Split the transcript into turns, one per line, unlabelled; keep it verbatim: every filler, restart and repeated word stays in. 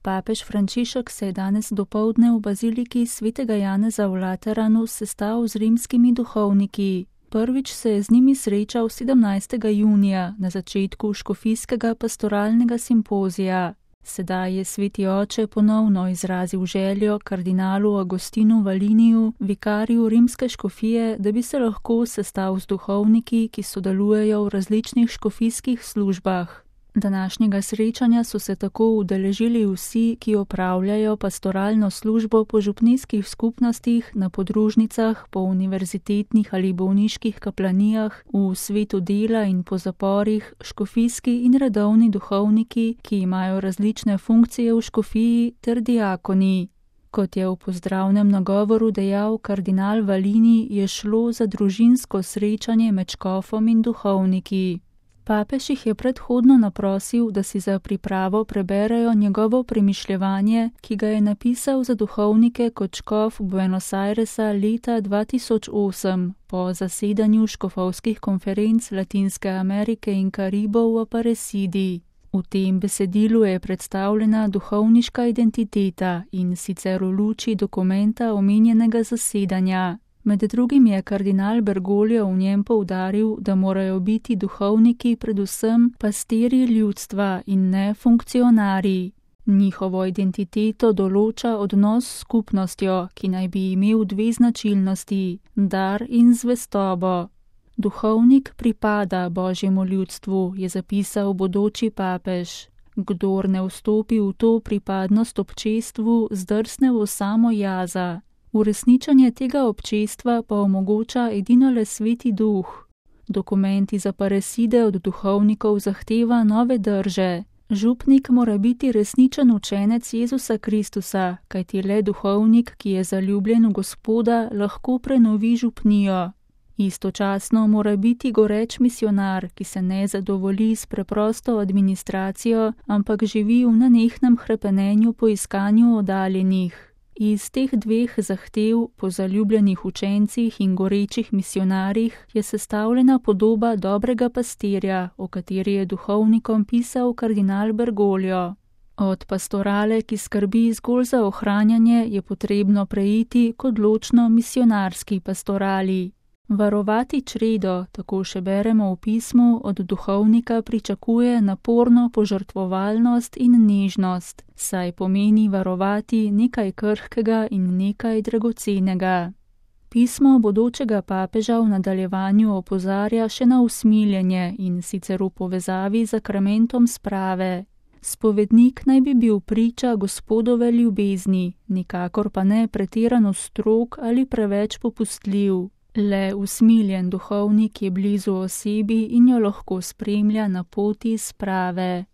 Papež Frančišek se je danes dopoldne v baziliki svetega Janeza v Lateranu sestal z rimskimi duhovniki. Prvič se je z njimi srečal sedemnajstega junija na začetku škofijskega pastoralnega simpozija. Sedaj je sveti oče ponovno izrazil željo kardinalu Agostinu Valiniju, vikariju rimske škofije, da bi se lahko sestal z duhovniki, ki sodelujejo v različnih škofijskih službah. Današnjega srečanja so se tako udeležili vsi, ki opravljajo pastoralno službo po župnijskih skupnostih, na podružnicah, po univerzitetnih ali bolniških kaplanijah, v svetu dela in po zaporih, škofijski in redovni duhovniki, ki imajo različne funkcije v škofiji, ter diakoni. Kot je v pozdravnem nagovoru dejal kardinal Valini, je šlo za družinsko srečanje med škofom in duhovniki. Papež jih je predhodno naprosil, da si za pripravo preberejo njegovo premišljevanje, ki ga je napisal za duhovnike kot škof Buenos Airesa leta dva tisoč osem, po zasedanju škofovskih konferenc Latinske Amerike in Karibov v Aparecidi. V tem besedilu je predstavljena duhovniška identiteta in sicer v luči dokumenta omenjenega zasedanja. Med drugim je kardinal Bergoglio v njem poudaril, da morajo biti duhovniki predvsem pastirji ljudstva in ne funkcionarji. Njihovo identiteto določa odnos s skupnostjo, ki naj bi imel dve značilnosti, dar in zvestobo. Duhovnik pripada božjemu ljudstvu, je zapisal bodoči papež. Kdor ne vstopi v to pripadnost občestvu, zdrsne v samo jaza. Uresničanje tega občestva pa omogoča edinole sveti duh. Dokument iz Aparecide od duhovnikov zahteva nove drže. Župnik mora biti resničen učenec Jezusa Kristusa, kajti le duhovnik, ki je zaljubljen v Gospoda, lahko prenovi župnijo. Istočasno mora biti goreč misionar, ki se ne zadovolji s preprosto administracijo, ampak živi v nenehnem hrepenenju po iskanju oddaljenih. Iz teh dveh zahtev po zaljubljenih učencih in gorečih misionarjih je sestavljena podoba dobrega pastirja, o kateri je duhovnikom pisal kardinal Bergoglio. Od pastorale, ki skrbi zgolj za ohranjanje, je potrebno preiti k odločno misionarski pastorali. Varovati čredo, tako še beremo v pismu, od duhovnika pričakuje naporno požrtvovalnost in nežnost, saj pomeni varovati nekaj krhkega in nekaj dragocenega. Pismo bodočega papeža v nadaljevanju opozarja še na usmiljenje in sicer v povezavi z sakramentom sprave. Spovednik naj bi bil priča Gospodove ljubezni, nikakor pa ne pretirano strog ali preveč popustljiv. Le usmiljen duhovnik je blizu osebi in jo lahko spremlja na poti sprave.